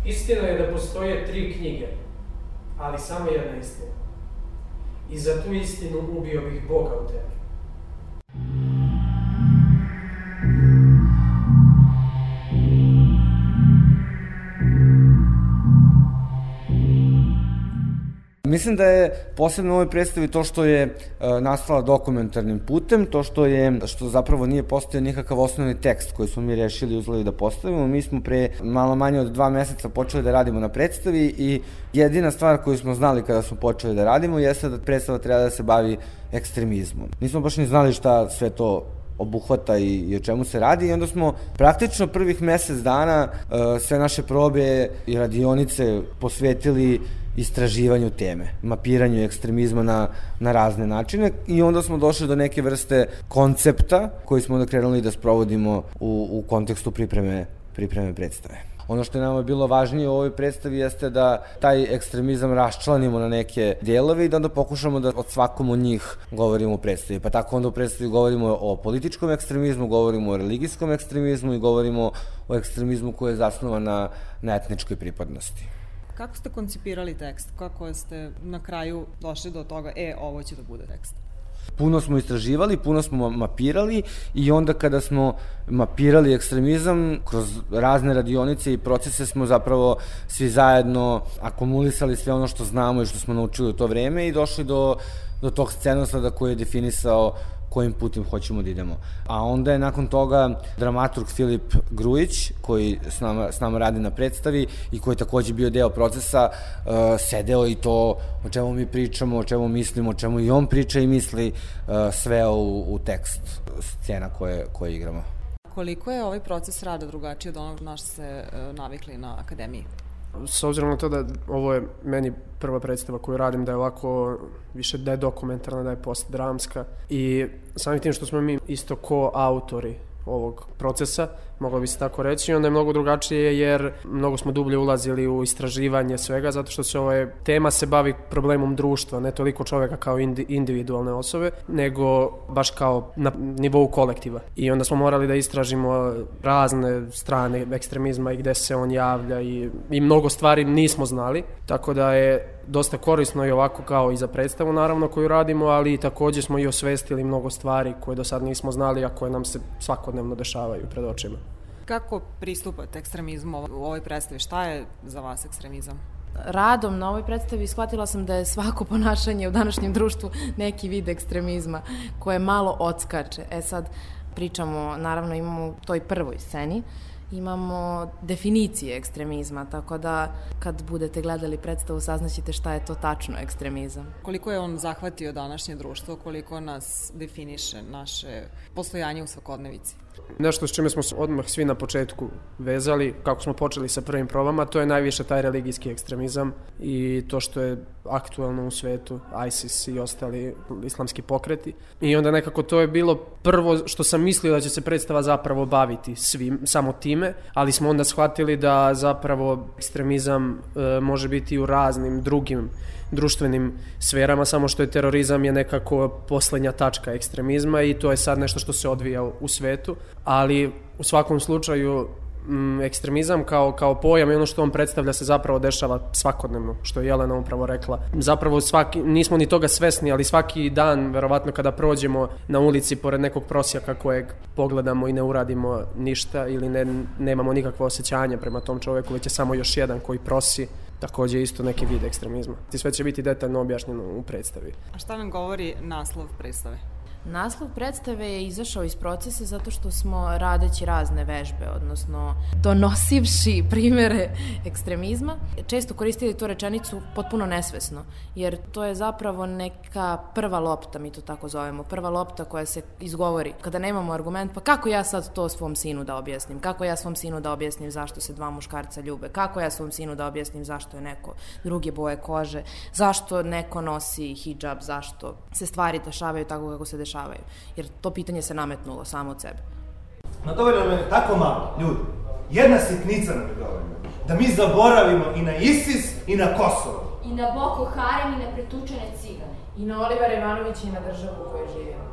Istina je da postoje 3 knjige, ali samo jedna istina. I za tu istinu ubio bih Boga u tebi. Mislim da je posebno u ovoj predstavi to što je nastala dokumentarnim putem, to što zapravo nije postojao nikakav osnovni tekst koji smo mi rešili i uzeli da postavimo. Mi smo pre malo manje od 2 meseca počeli da radimo na predstavi i jedina stvar koju smo znali kada smo počeli da radimo jeste da predstava treba da se bavi ekstremizmom. Nismo baš ni znali šta sve to obuhvata i o čemu se radi i onda smo praktično prvih mesec dana sve naše probe i radionice posvetili istraživanju teme, mapiranju ekstremizma na razne načine i onda smo došli do neke vrste koncepta koji smo onda krenuli da sprovodimo u kontekstu pripreme predstave. Ono što je nama bilo važnije u ovoj predstavi jeste da taj ekstremizam raščlanimo na neke delove i da onda pokušamo da od svakom od njih govorimo u predstavi. Pa tako onda u predstavi govorimo o političkom ekstremizmu, govorimo o religijskom ekstremizmu i govorimo o ekstremizmu koji je zasnovan na etničkoj pripadnosti. Kako ste koncipirali tekst? Kako ste na kraju došli do toga, ovo će da bude tekst? Puno smo istraživali, puno smo mapirali i onda kada smo mapirali ekstremizam, kroz razne radionice i procese smo zapravo svi zajedno akumulisali sve ono što znamo i što smo naučili u to vreme i došli do tog scenosleda koji je definisao kojim putem hoćemo da idemo. A onda je nakon toga dramaturg Filip Grujić, koji s nama radi na predstavi i koji je takođe bio deo procesa, sedeo i to o čemu mi pričamo, o čemu mislimo, o čemu i on priča i misli, sve u tekst scena koje igramo. Koliko je ovaj proces rada drugačiji od onog na što ste navikli na akademiji? S obzirom na to da ovo je meni prva predstava koju radim, da je ovako više da je dokumentarna, da je postdramska i samim tim što smo mi isto ko-autori ovog procesa, moglo bi se tako reći, onda je mnogo drugačije jer mnogo smo dublje ulazili u istraživanje svega, zato što tema se bavi problemom društva, ne toliko čoveka kao individualne osobe, nego baš kao na nivou kolektiva. I onda smo morali da istražimo razne strane ekstremizma i gde se on javlja i mnogo stvari nismo znali, tako da je dosta korisno i ovako kao i za predstavu naravno koju radimo, ali takođe smo i osvestili mnogo stvari koje do sad nismo znali, a koje nam se svakodnevno dešavaju pred očima. Kako pristupate ekstremizmu u ovoj predstavi? Šta je za vas ekstremizam? Radom na ovoj predstavi shvatila sam da je svako ponašanje u današnjem društvu neki vid ekstremizma koje malo odskače. Sad pričamo, naravno imamo u toj prvoj sceni, imamo definicije ekstremizma, tako da kad budete gledali predstavu saznaćete šta je to tačno ekstremizam. Koliko je on zahvatio današnje društvo, koliko nas definiše naše postojanje u svakodnevici? Nešto s čime smo se odmah svi na početku vezali, kako smo počeli sa prvim probama, to je najviše taj religijski ekstremizam i to što je aktuelno u svetu, ISIS i ostali islamski pokreti. I onda nekako to je bilo prvo što sam mislio da će se predstava zapravo baviti svim, samo time, ali smo onda shvatili da zapravo ekstremizam može biti u raznim drugim društvenim sferama, samo što je terorizam je nekako poslednja tačka ekstremizma i to je sad nešto što se odvija u svetu, ali u svakom slučaju ekstremizam kao pojam i ono što on predstavlja se zapravo dešava svakodnevno, što je Jelena upravo rekla. Zapravo nismo ni toga svesni, ali svaki dan, verovatno kada prođemo na ulici pored nekog prosjaka kojeg pogledamo i ne uradimo ništa ili nemamo nikakvo osjećanje prema tom čoveku, već je samo još jedan koji prosi, takođe isto neki vid ekstremizma. I sve će biti detaljno objašnjeno u predstavi. A šta nam govori naslov predstave? Naslov predstave je izašao iz procesa zato što smo radeći razne vežbe, odnosno donosivši primere ekstremizma, često koristili tu rečenicu potpuno nesvesno, jer to je zapravo neka prva lopta, mi to tako zovemo, prva lopta koja se izgovori kada nemamo argument, pa kako ja sad to svom sinu da objasnim, kako ja svom sinu da objasnim zašto se 2 muškarca ljube, kako ja svom sinu da objasnim zašto je neko druge boje kože, zašto neko nosi hidžab, zašto se stvari dešavaju tako kako se dešavaju, jer to pitanje se nametnulo samo od sebe. No dovoljno nam je tako malo, ljudi. Jedna sitnica nam je dovoljno. Da mi zaboravimo i na ISIS i na Kosovo. I na Boko Haram i na pretučene cigane. I na Olivera Ivanovića i na državu u kojoj živimo.